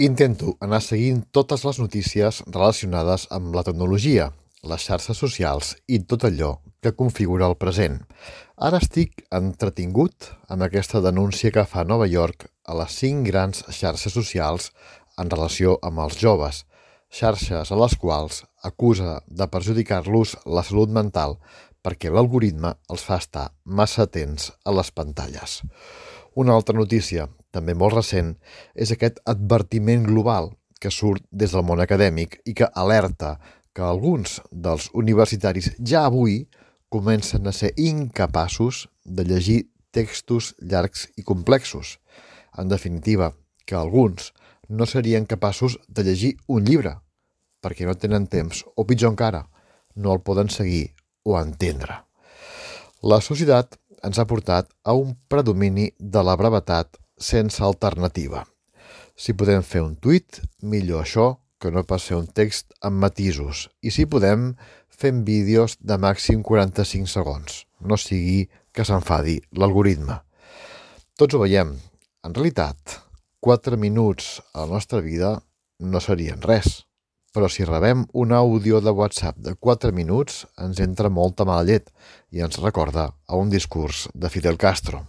Intento anar seguint totes les notícies relacionades amb la tecnologia, les xarxes socials i tot allò que configura el present. Ara estic entretingut amb aquesta denúncia que fa Nova York a les 5 grans xarxes socials en relació amb els joves, xarxes a les quals acusa de perjudicar-los la salut mental perquè l'algoritme els fa estar massa temps a les pantalles. Una altra notícia, també molt recent, és aquest advertiment global que surt des del món acadèmic i que alerta que alguns dels universitaris ja avui comencen a ser incapaços de llegir textos llargs i complexos. En definitiva, que alguns no serien capaços de llegir un llibre, perquè no tenen temps, o pitjor encara, no el poden seguir o entendre. La societat ens ha portat a un predomini de la brevetat sense alternativa. Si podem fer un tuit, millor això que no pas fer un text amb matisos. I si podem, fem vídeos de màxim 45 segons. No sigui que s'enfadi l'algoritme. Tots ho veiem. En realitat, 4 minuts a la nostra vida no serien res. Però si rebem un àudio de WhatsApp de 4 minuts, ens entra molta mala llet i ens recorda a un discurs de Fidel Castro.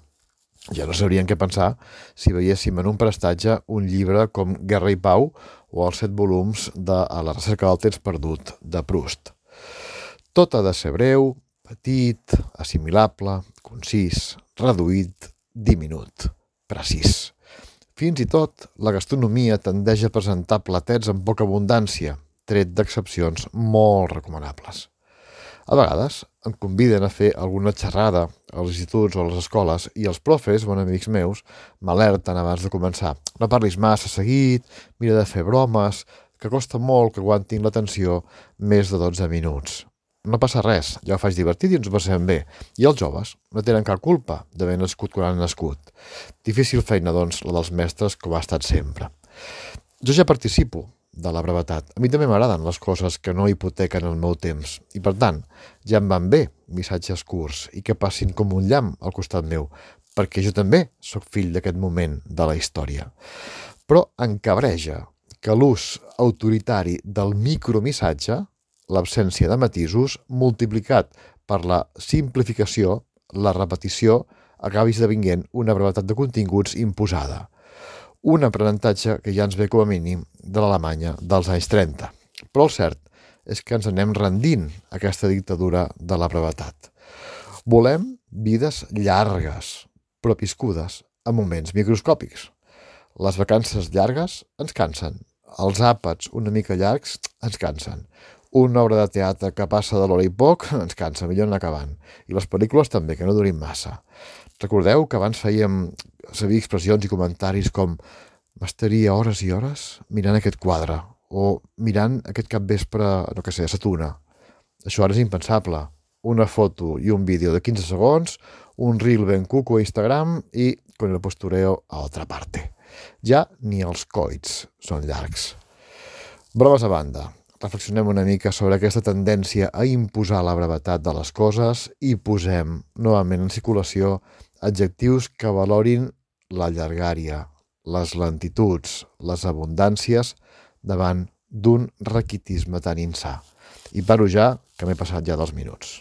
Ja no sabríem què pensar si veiéssim en un prestatge un llibre com Guerra i Pau o els 7 volums de A la recerca del temps perdut de Proust. Tot ha de ser breu, petit, assimilable, concís, reduït, diminut, precís. Fins i tot la gastronomia tendeix a presentar platets amb poca abundància, tret d'excepcions molt recomanables. A vegades em conviden a fer alguna xerrada als instituts o a les escoles i els profes, bons amics meus, m'alerten abans de començar. No parlis massa seguit, mira de fer bromes, que costa molt que aguantin l'atenció més de 12 minuts. No passa res, ja ho faig divertit i ens ho passem bé. I els joves no tenen cap culpa d'haver nascut quan han nascut. Difícil feina, doncs, la dels mestres, com ha estat sempre. Jo ja participo de la brevetat. A mi també m'agraden les coses que no hipotequen el meu temps. I per tant, ja em van bé missatges curts i que passin com un llamp al costat meu, perquè jo també sóc fill d'aquest moment de la història. Però em cabreja que l'ús autoritari del micromissatge, l'absència de matisos, multiplicat per la simplificació, la repetició, acabi esdevenint una brevetat de continguts imposada. Un aprenentatge que ja ens ve com a mínim de l'Alemanya dels anys 30. Però el cert és que ens anem rendint a aquesta dictadura de la brevetat. Volem vides llargues, però viscudes a moments microscòpics. Les vacances llargues ens cansen. Els àpats una mica llargs ens cansen. Una obra de teatre que passa de l'hora i poc ens cansa, millor anar acabant. I les pel·lícules també, que no durin massa. Recordeu que abans fèiem servir expressions i comentaris com m'estaria hores i hores mirant aquest quadre o mirant aquest capvespre, no què sé, a Sa Tuna. Això ara és impensable. Una foto i un vídeo de 15 segons, un reel ben cuco a Instagram i con el postureo a otra parte. Ja ni els coits són llargs. Bromes a banda. Reflexionem una mica sobre aquesta tendència a imposar la brevetat de les coses i posem novament en circulació adjectius que valorin la llargària, les lentituds, les abundàncies davant d'un raquitisme tan insà. I paro ja, que m'he passat ja 2 minuts.